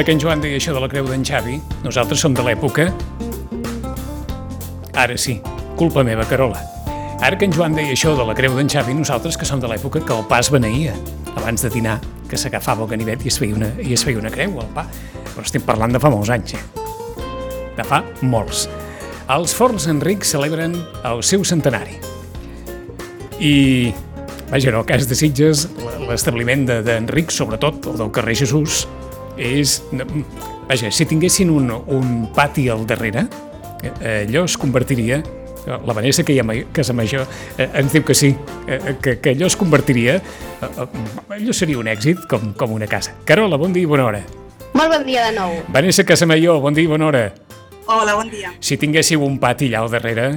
Ara que en Joan deia això de la creu d'en Xavi, nosaltres som de l'època... Ara sí, culpa meva, Carola. Ara que en Joan deia això de la creu d'en Xavi, nosaltres que som de l'època que el pa es beneïa. Abans de dinar, que s'agafava el ganivet i es feia una creu al pa. Però estem parlant de fa molts anys, De fa molts. Els Forns Enric celebren el seu centenari. I, vaja, en el cas de Sitges, l'establiment d'Enric, sobretot el del carrer Jesús, és... Vaja, si tinguessin un pati al darrere, allò es convertiria... La Vanessa, que hi ha Casa Major, ens diu que sí, que allò es convertiria... Allò seria un èxit com una casa. Carola, bon dia i bona hora. Molt bon dia de nou. Vanessa Casamajor, bon dia i bona hora. Hola, bon dia. Si tinguéssiu un pati allà al darrere,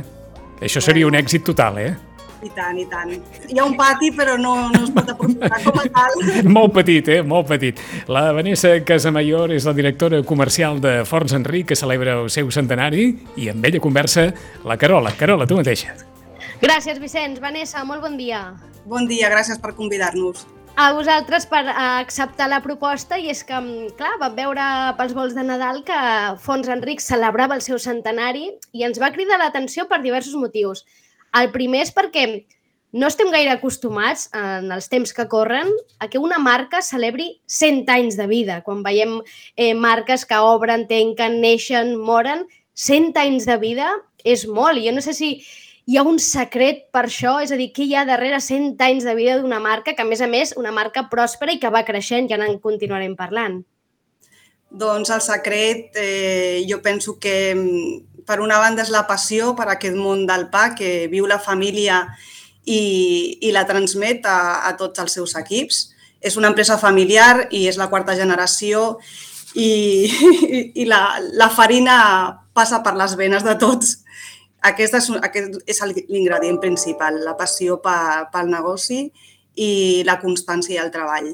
això seria un èxit total, I tant, i tant. Hi ha un pati, però no es pot aprofitar com a tal. Molt petit, molt petit. La Vanessa Casamajor és la directora comercial de Forns Enric, que celebra el seu centenari, i amb ella conversa la Carola. Carola, tu mateixa. Gràcies, Vicenç. Vanessa, molt bon dia. Bon dia, gràcies per convidar-nos. A vosaltres per acceptar la proposta, i és que, clar, vam veure pels vols de Nadal que Forns Enric celebrava el seu centenari i ens va cridar l'atenció per diversos motius. El primer és perquè no estem gaire acostumats, en els temps que corren, a que una marca celebri 100 anys de vida. Quan veiem marques que obren, tanquen, neixen, moren, 100 anys de vida és molt. I jo no sé si hi ha un secret per això, és a dir, què hi ha darrere 100 anys de vida d'una marca que, a més, una marca pròspera i que va creixent, ja en continuarem parlant. Doncs el secret, jo penso que per una banda és la passió per aquest món del pa que viu la família i la transmet a tots els seus equips. És una empresa familiar i és la quarta generació i la farina passa per les venes de tots. Aquest és l'ingredient principal, la passió pel negoci i la constància i el treball.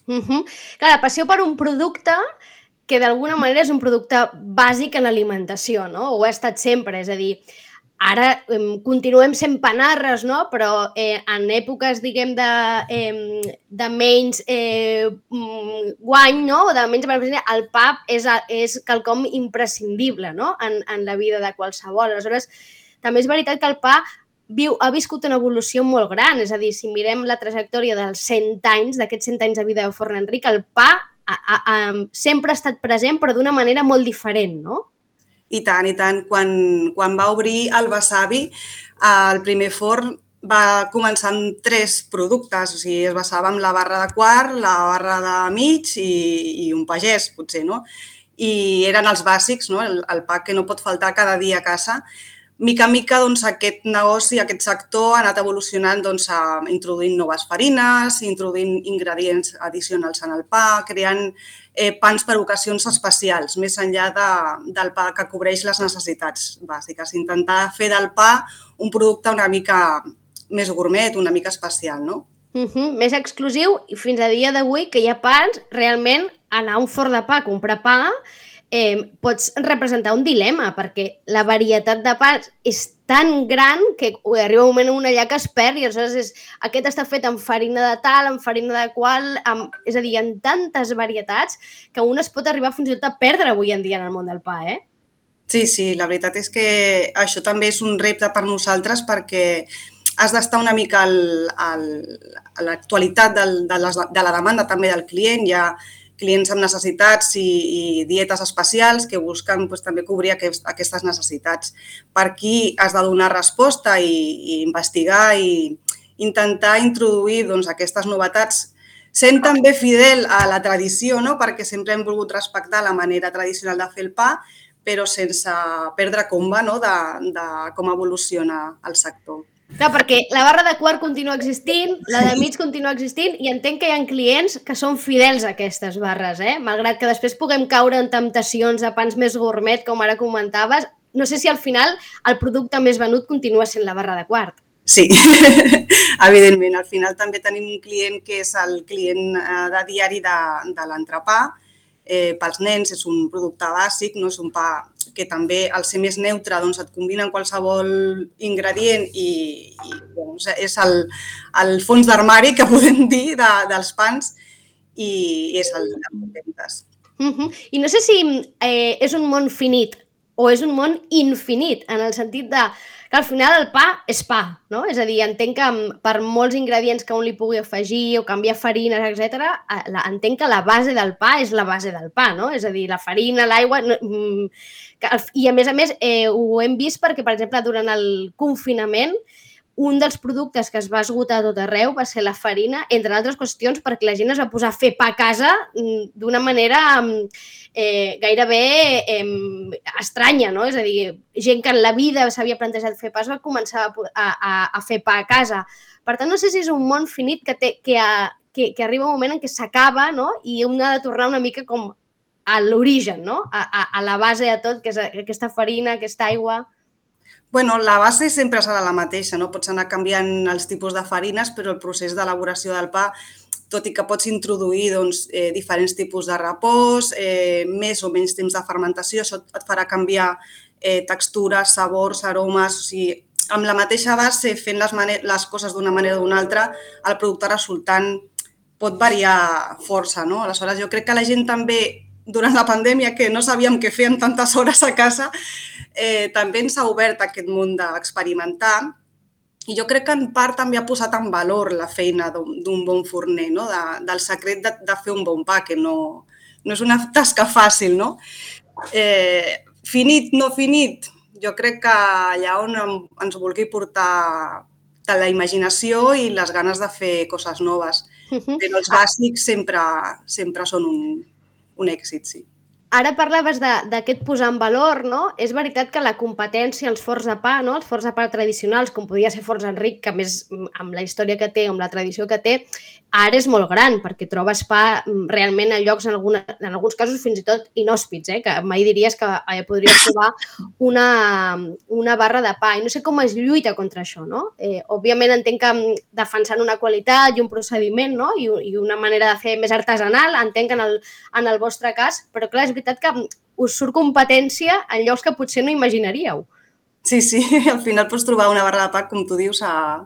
Clar, la passió per un producte que d'alguna manera és un producte bàsic en l'alimentació, no? Ho ha estat sempre, és a dir, ara continuem sent panarres, no? Però en èpoques, diguem, de menys guany, no? O de menys benefici, el pa és quelcom imprescindible, no? En la vida de qualsevol. Aleshores, també és veritat que el pa ha viscut una evolució molt gran, és a dir, si mirem la trajectòria dels 100 anys, d'aquests 100 anys de vida de Forn Enric, el pa sempre ha estat present, però d'una manera molt diferent, no? I tant, i tant. Quan va obrir el Besavi, el primer forn va començar amb 3 productes, o sigui, es basava en la barra de quart, la barra de mig i un pagès, potser, no? I eren els bàsics, no? El pa que no pot faltar cada dia a casa. Mica en mica, doncs, aquest negoci, aquest sector ha anat evolucionant introduint noves farines, introduint ingredients addicionals en el pa, creant pans per ocasions especials, més enllà del pa que cobreix les necessitats bàsiques. Intentar fer del pa un producte una mica més gourmet, una mica especial, no? Més exclusiu, i fins a dia d'avui que hi ha pans, realment anar a un forn de pa a comprar pa pots representar un dilema, perquè la varietat de pans és tan gran que arriba un moment allà que es perd i aleshores aquest està fet amb farina de tal, amb farina de qual, és a dir, hi ha tantes varietats que un es pot arribar fins i tot a perdre avui en dia en el món del pa, Sí, la veritat és que això també és un repte per nosaltres perquè has d'estar una mica a l'actualitat de la demanda també del client. Hi ha clients amb necessitats i dietes especials que busquen també cobrir aquestes necessitats. Per aquí has de donar resposta i investigar i intentar introduir aquestes novetats sent també fidel a la tradició, no? Perquè sempre hem volgut respectar la manera tradicional de fer el pa, però sense perdre comba de com evoluciona el sector. Clar, perquè la barra de quart continua existint, la de mig continua existint i entenc que hi ha clients que són fidels a aquestes barres, malgrat que després puguem caure en temptacions de pans més gourmet, com ara comentaves. No sé si al final el producte més venut continua sent la barra de quart. Sí, evidentment. Al final també tenim un client que és el client de diari de l'entrepà. Pels nens és un producte bàsic, no és un pa que també al ser més neutre et combina amb qualsevol ingredient i és el fons d'armari que podem dir dels pans i és el de ventes. I no sé si és un món finit o és un món infinit, en el sentit de que al final el pa és pa, no? És a dir, entenc que per molts ingredients que un li pugui afegir o canviar farines, etc., entenc que la base del pa és la base del pa, no? És a dir, la farina, l'aigua... I a més, ho hem vist perquè, per exemple, durant el confinament, un dels productes que es va esgotar a tot arreu va ser la farina, entre altres qüestions, perquè la gent es va posar a fer pa a casa d'una manera gairebé estranya, no? És a dir, gent que en la vida s'havia plantejat fer pa es va començar a fer pa a casa. Per tant, no sé si és un món finit que arriba un moment en què s'acaba, no? I un ha de tornar una mica com a l'origen, no? A la base de tot, que és aquesta farina, aquesta aigua... Bueno, la base sempre serà la mateixa, no? Pots anar canviant els tipus de farines, però el procés d'elaboració del pa, tot i que pots introduir diferents tipus de repòs, més o menys temps de fermentació, això et farà canviar textures, sabors, aromes... O sigui, amb la mateixa base, fent les coses d'una manera o d'una altra, el producte resultant pot variar força, no? Aleshores, jo crec que la gent també, durant la pandèmia, que no sabíem què fer amb tantes hores a casa, també ens ha obert aquest món d'experimentar i jo crec que en part també ha posat en valor la feina d'un bon forner, no? Del secret de fer un bon pa, que no és una tasca fàcil, no? Finit, no finit, jo crec que allà on ens vulgui portar la imaginació i les ganes de fer coses noves, però els bàsics sempre són un èxit, sí. Ara parlaves d'aquest posar en valor, no? És veritat que la competència als forns de pa, no? Els forns de pa tradicionals, com podia ser Forns Enric, que a més amb la història que té, amb la tradició que té, ara és molt gran, perquè trobes pa realment a llocs, en alguns casos fins i tot inhòspits, que mai diries que podries trobar una barra de pa. I no sé com es lluita contra això, no? Òbviament entenc que defensant una qualitat i un procediment, no? I una manera de fer més artesanal, entenc en el vostre cas, però clar, és veritat que us surt competència en llocs que potser no imaginaríeu. Sí, al final pots trobar una barra de pa, com tu dius, a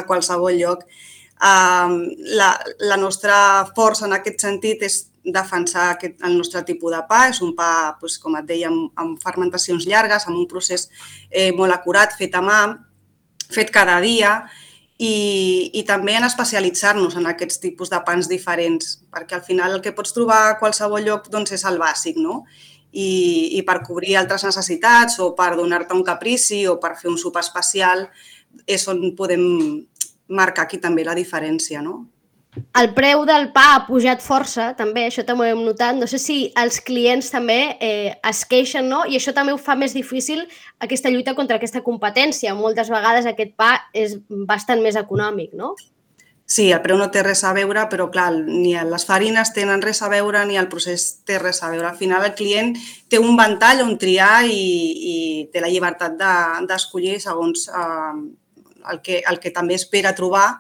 qualsevol lloc. La nostra força en aquest sentit és defensar el nostre tipus de pa. És un pa, com et deia, amb fermentacions llargues, amb un procés molt acurat, fet a mà, fet cada dia, i també en especialitzar-nos en aquests tipus de pans diferents, perquè al final el que pots trobar a qualsevol lloc és el bàsic, no? I per cobrir altres necessitats o per donar-te un caprici o per fer un sopar especial és on podem marcar aquí també la diferència, no? El preu del pa ha pujat força, també, això també ho hem notat. No sé si els clients també es queixen, no? I això també ho fa més difícil aquesta lluita contra aquesta competència. Moltes vegades aquest pa és bastant més econòmic, no? Sí, el preu no té res a veure, però clar, ni les farines tenen res a veure ni el procés té res a veure. Al final el client té un ventall on triar i té la llibertat d'escollir segons el que també espera trobar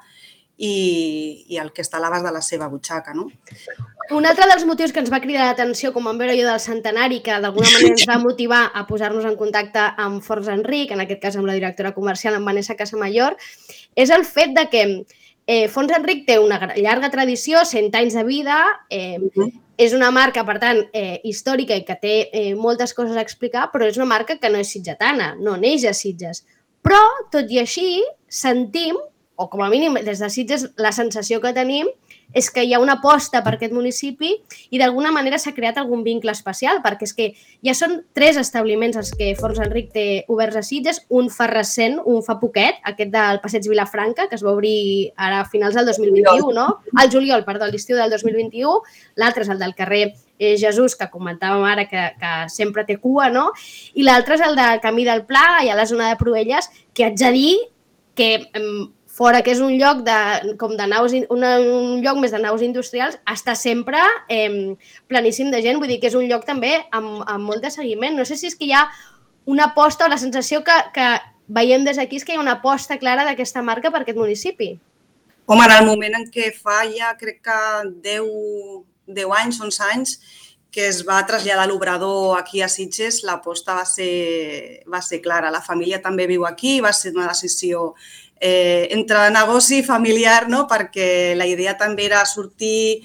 i el que està a l'abast de la seva butxaca, no? Un altre dels motius que ens va cridar l'atenció, com vam veure jo del centenari, que d'alguna manera ens va motivar a posar-nos en contacte amb Forns Enric, en aquest cas amb la directora comercial, amb Vanessa Casamayor, és el fet de que Forns Enric té una llarga tradició, 100 anys de vida, és una marca, per tant, històrica i que té moltes coses a explicar, però és una marca que no és sitgetana, no neix a Sitges. Però, tot i així, sentim, o com a mínim des de Sitges, la sensació que tenim és que hi ha una aposta per aquest municipi i d'alguna manera s'ha creat algun vincle especial, perquè és que ja són 3 establiments els que Forns Enric té oberts a Sitges, un fa recent, un fa poquet, aquest del Passeig Vilafranca, que es va obrir ara a finals del 2021, no? Al juliol, perdó, l'estiu del 2021, l'altre és el del carrer Jesús, que comentàvem ara que sempre té cua, no? I l'altre és el del Camí del Pla, allà a la zona de Proelles, que haig de dir que fora que és un lloc un lloc més de naus industrials, està sempre planíssim de gent, vull dir que és un lloc també amb molt de seguiment. No sé si és que hi ha una aposta o la sensació que veiem des d'aquí és que hi ha una aposta clara d'aquesta marca per aquest municipi. Home, en el moment en què fa ja crec que 10 anys, 11 anys, que es va traslladar l'obrador aquí a Sitges, l'aposta va ser clara. La família també viu aquí, va ser una decisió entre negoci i familiar, no? Perquè la idea també era sortir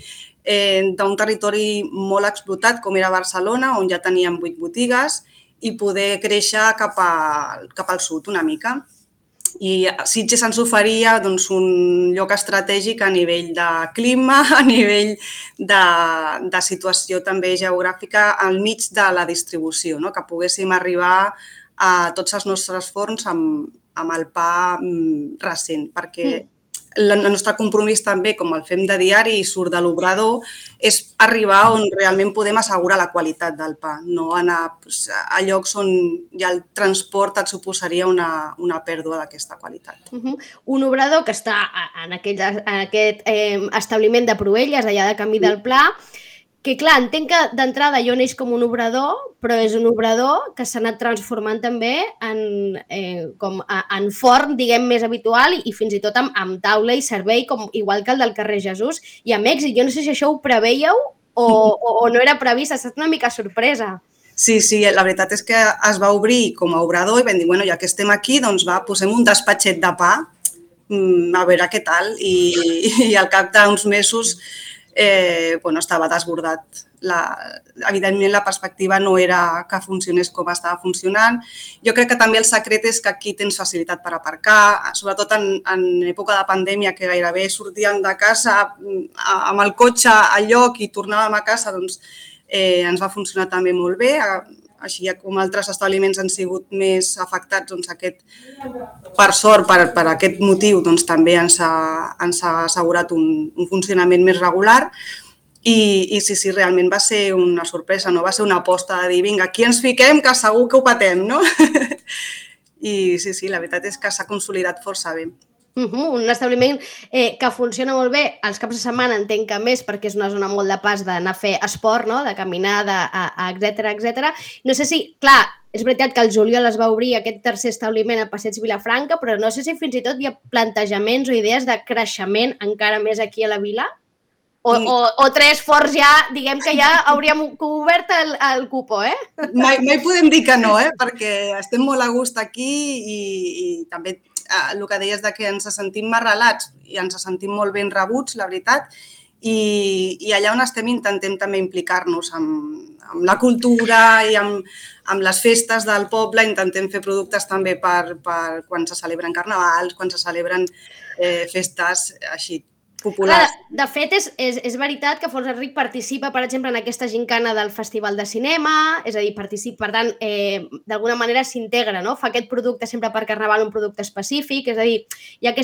d'un territori molt explotat com era Barcelona, on ja teníem 8 botigues, i poder créixer cap al sud una mica. I Sitges ens oferia un lloc estratègic a nivell de clima, a nivell de situació també geogràfica al mig de la distribució, que poguéssim arribar a tots els nostres forns amb el pa recent, perquè el nostre compromís també, com el fem de diari i surt de l'obrador, és arribar on realment podem assegurar la qualitat del pa, no anar a llocs on ja el transport et suposaria una pèrdua d'aquesta qualitat. Un obrador que està en aquest establiment de Proelles, allà de Camí del Pla, que clar, entenc que d'entrada jo neix com un obrador, però és un obrador que s'ha anat transformant també en forn, diguem, més habitual i fins i tot amb taula i servei, igual que el del carrer Jesús, i amb èxit. Jo no sé si això ho prevèieu o no era previst, ha estat una mica sorpresa. Sí, la veritat és que es va obrir com a obrador i vam dir, bueno, ja que estem aquí, doncs posem un despatxet de pa, a veure què tal, i al cap d'uns mesos estava desbordat. Evidentment, la perspectiva no era que funcionés com estava funcionant. Jo crec que també el secret és que aquí tens facilitat per aparcar, sobretot en època de pandèmia, que gairebé sortíem de casa amb el cotxe al lloc i tornàvem a casa, doncs ens va funcionar també molt bé. Així com altres establiments han sigut més afectats, doncs per sort, per aquest motiu, doncs també ens ha assegurat un funcionament més regular i sí, realment va ser una sorpresa, no va ser una aposta de dir, vinga, aquí ens fiquem que segur que ho patem, no? I sí, la veritat és que s'ha consolidat força bé. Un establiment que funciona molt bé els caps de setmana, entenc que més perquè és una zona molt de pas d'anar a fer esport, de caminar, etcètera. No sé si, clar, és veritat que el juliol es va obrir aquest tercer establiment a Passeig Vilafranca, però no sé si fins i tot hi ha plantejaments o idees de creixement encara més aquí a la vila? O tres forts ja, diguem que ja hauríem obert el cupo, Mai podem dir que no, perquè estem molt a gust aquí i també el que deies que ens sentim arrelats i ens sentim molt ben rebuts, la veritat, i allà on estem intentem també implicar-nos amb la cultura i amb les festes del poble, intentem fer productes també per quan se celebren carnavals, quan se celebren festes així populars. De fet, és veritat que Forns Enric participa, per exemple, en aquesta gincana del Festival de Cinema, és a dir, participa, per tant, d'alguna manera s'integra, no? Fa aquest producte sempre per Carnaval, un producte específic, és a dir, hi ha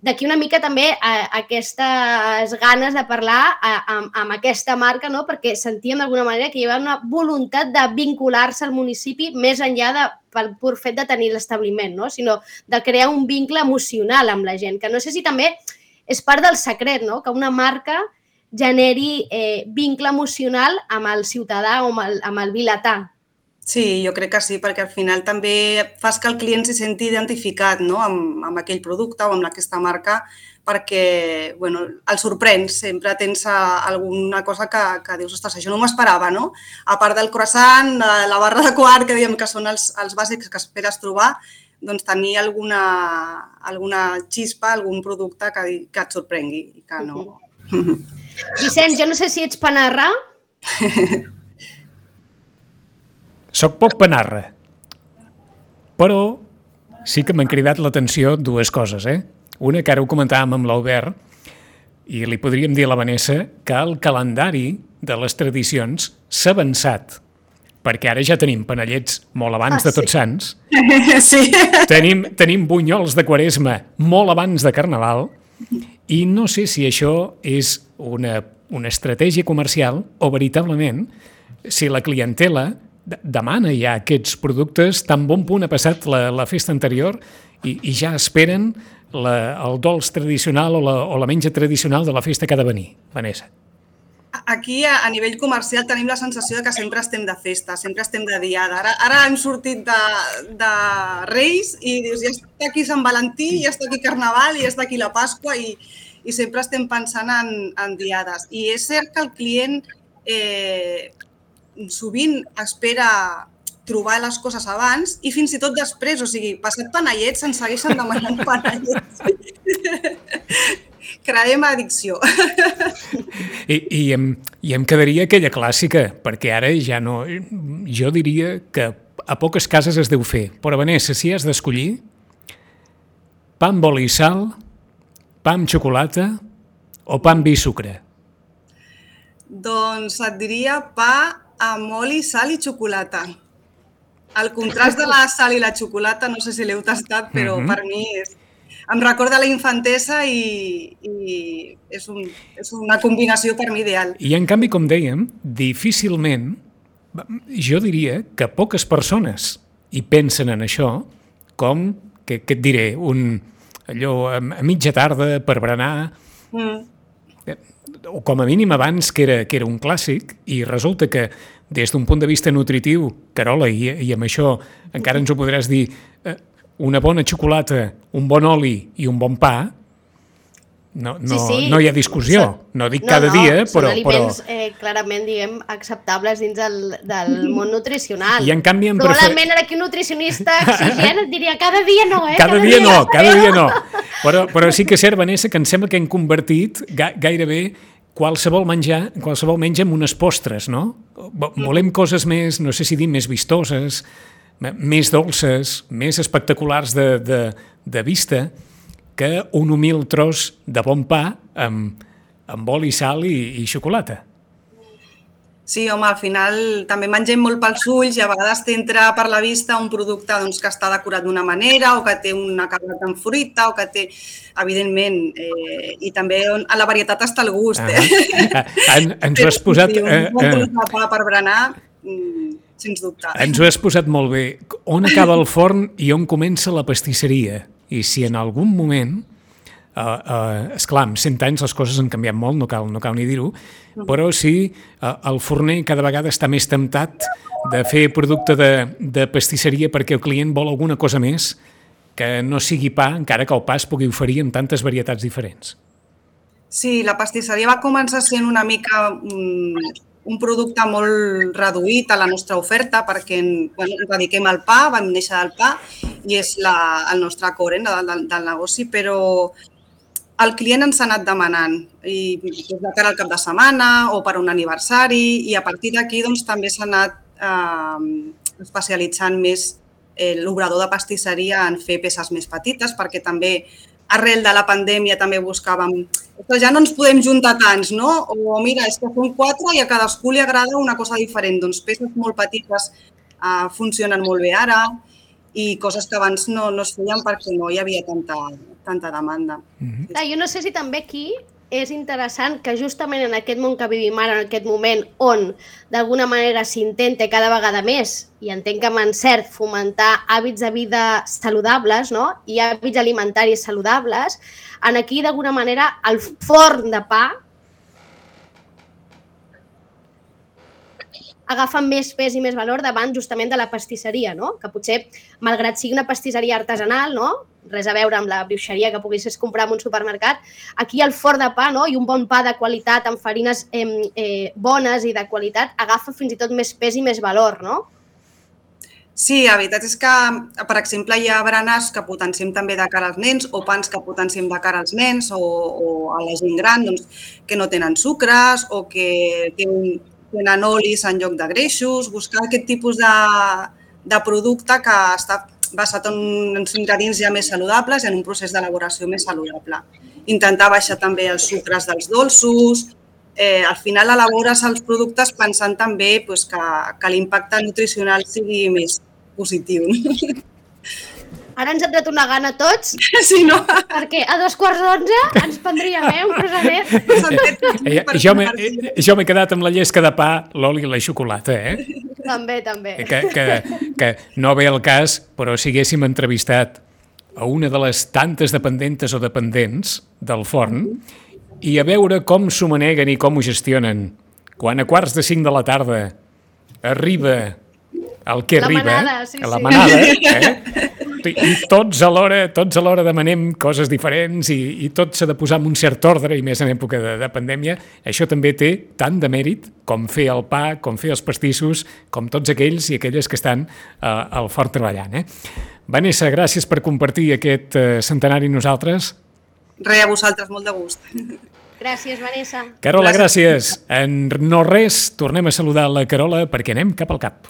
d'aquí una mica també aquestes ganes de parlar amb aquesta marca, no? Perquè sentíem d'alguna manera que hi havia una voluntat de vincular-se al municipi més enllà pel pur fet de tenir l'establiment, no? Sinó de crear un vincle emocional amb la gent, que no sé si també és part del secret, no? Que una marca generi vincle emocional amb el ciutadà o amb el vilatà. Sí, jo crec que sí, perquè al final també fas que el client s'hi senti identificat amb aquell producte o amb aquesta marca perquè el sorprens, sempre tens alguna cosa que dius, ostres, això no m'ho esperava, no? A part del croissant, la barra de quart, que diem que són els bàsics que esperes trobar, doncs tenir alguna xispa, algun producte que et sorprengui i que no... Vicenç, jo no sé si ets panarra. Soc poc panarra, però sí que m'han cridat l'atenció dues coses, Una, que ara ho comentàvem amb l'Albert, i li podríem dir a la Vanessa que el calendari de les tradicions s'ha avançat, perquè ara ja tenim panellets molt abans de Tots Sants, tenim bunyols de Quaresma molt abans de Carnaval, i no sé si això és una estratègia comercial o veritablement si la clientela demana ja aquests productes, tan bon punt ha passat la festa anterior i ja esperen el dolç tradicional o la menja tradicional de la festa que ha de venir. Vanessa. Aquí, a nivell comercial, tenim la sensació que sempre estem de festa, sempre estem de diada. Ara hem sortit de Reis i dius, ja està aquí Sant Valentí, ja està aquí Carnaval, ja està aquí la Pasqua i sempre estem pensant en diades. I és cert que el client sovint espera trobar les coses abans i fins i tot després, o sigui, passat panellets se'n segueixen demanant panellets. creem addicció. I em quedaria aquella clàssica, perquè ara ja no... Jo diria que a poques cases es deu fer. Però, Vanessa, si has d'escollir, pa amb oli i sal, pa amb xocolata o pa amb vi i sucre? Doncs et diria pa amb oli, sal i xocolata. El contrast de la sal i la xocolata, no sé si l'heu tastat, però per mi em recorda la infantesa i és una combinació per mi ideal. I en canvi, com dèiem, difícilment, jo diria que poques persones hi pensen en això, com, què et diré, allò a mitja tarda per berenar, o com a mínim abans que era un clàssic, i resulta que des d'un punt de vista nutritiu, Carola, i amb això encara ens ho podràs dir, una bona xocolata, un bon oli i un bon pa, no hi ha discussió. No dic cada dia, però... Són aliments clarament, diguem, acceptables dins del món nutricional. I en canvi... Probablement aquí un nutricionista exigent et diria cada dia no, Cada dia no. Però sí que és cert, Vanessa, que em sembla que hem convertit gairebé qualsevol menja en unes postres, no? Volem coses més, no sé si dir, més vistoses, més dolces, més espectaculars de vista, que un humil tros de bon pa amb oli, sal i xocolata. Sí, home, al final també mengem molt pels ulls i a vegades t'entra per la vista un producte que està decorat d'una manera o que té un acabat en fruita o que té, evidentment, i també a la varietat està el gust. Ens ho has posat... Un bon tros de pa per berenar, sens dubte. Ens ho has posat molt bé. On acaba el forn i on comença la pastisseria? I si en algun moment, esclar, amb 100 anys les coses han canviat molt, no cal ni dir-ho, però sí, el forner cada vegada està més temptat de fer producte de pastisseria perquè el client vol alguna cosa més que no sigui pa, encara que el pa es pugui oferir amb tantes varietats diferents. Sí, la pastisseria va començar sent una mica un producte molt reduït a la nostra oferta perquè ens dediquem al pa, vam néixer del pa i és el nostre core del negoci, però el client ens ha anat demanant i des de cara al cap de setmana o per un aniversari i a partir d'aquí també s'ha anat especialitzant més l'obrador de pastisseria en fer peces més petites perquè també arrel de la pandèmia també buscàvem que ja no ens podem juntar tants, no? O mira, és que som 4 i a cadascú li agrada una cosa diferent. Doncs peces molt petites funcionen molt bé ara i coses que abans no es feien perquè no hi havia tanta demanda. Jo no sé si també aquí és interessant que justament en aquest món que vivim ara, en aquest moment on d'alguna manera s'intenta cada vegada més, i entenc que amb encert fomentar hàbits de vida saludables, no? I hàbits alimentaris saludables, en aquí d'alguna manera el forn de pa agafen més pes i més valor davant justament de la pastisseria, no? Que potser, malgrat sigui una pastisseria artesanal, no? Res a veure amb la brioixeria que poguessis comprar en un supermercat, aquí el forn de pa, no? I un bon pa de qualitat, amb farines bones i de qualitat, agafa fins i tot més pes i més valor, no? Sí, la veritat és que, per exemple, hi ha berenars que potenciem també de cara als nens o pans que potenciem de cara als nens o a la gent gran que no tenen sucres o que tenen olis en lloc de greixos, buscar aquest tipus de producte que està basat en uns ingredients ja més saludables i en un procés d'elaboració més saludable. Intentar baixar també els sucres dels dolços. Al final elabores els productes pensant també que l'impacte nutricional sigui més positiu. Ara ens ha tret una gana a tots, sí, no? Perquè a 11:15 ens prendríem un croissanet. Jo m'he quedat amb la llesca de pa, l'oli i la xocolata, També. Que no ve el cas, però si haguéssim entrevistat a una de les tantes dependentes o dependents del forn i a veure com s'ho maneguen i com ho gestionen, quan a 4:45 de la tarda arriba el que arriba, la manada, i tots alhora demanem coses diferents i tot s'ha de posar en un cert ordre, i més en època de pandèmia. Això també té tant de mèrit com fer el pa, com fer els pastissos, com tots aquells i aquelles que estan al forn treballant. Vanessa, gràcies per compartir aquest centenari amb nosaltres. Res, a vosaltres, molt de gust. Gràcies, Vanessa. Carola, gràcies. En no res, tornem a saludar la Carola perquè anem cap al cap.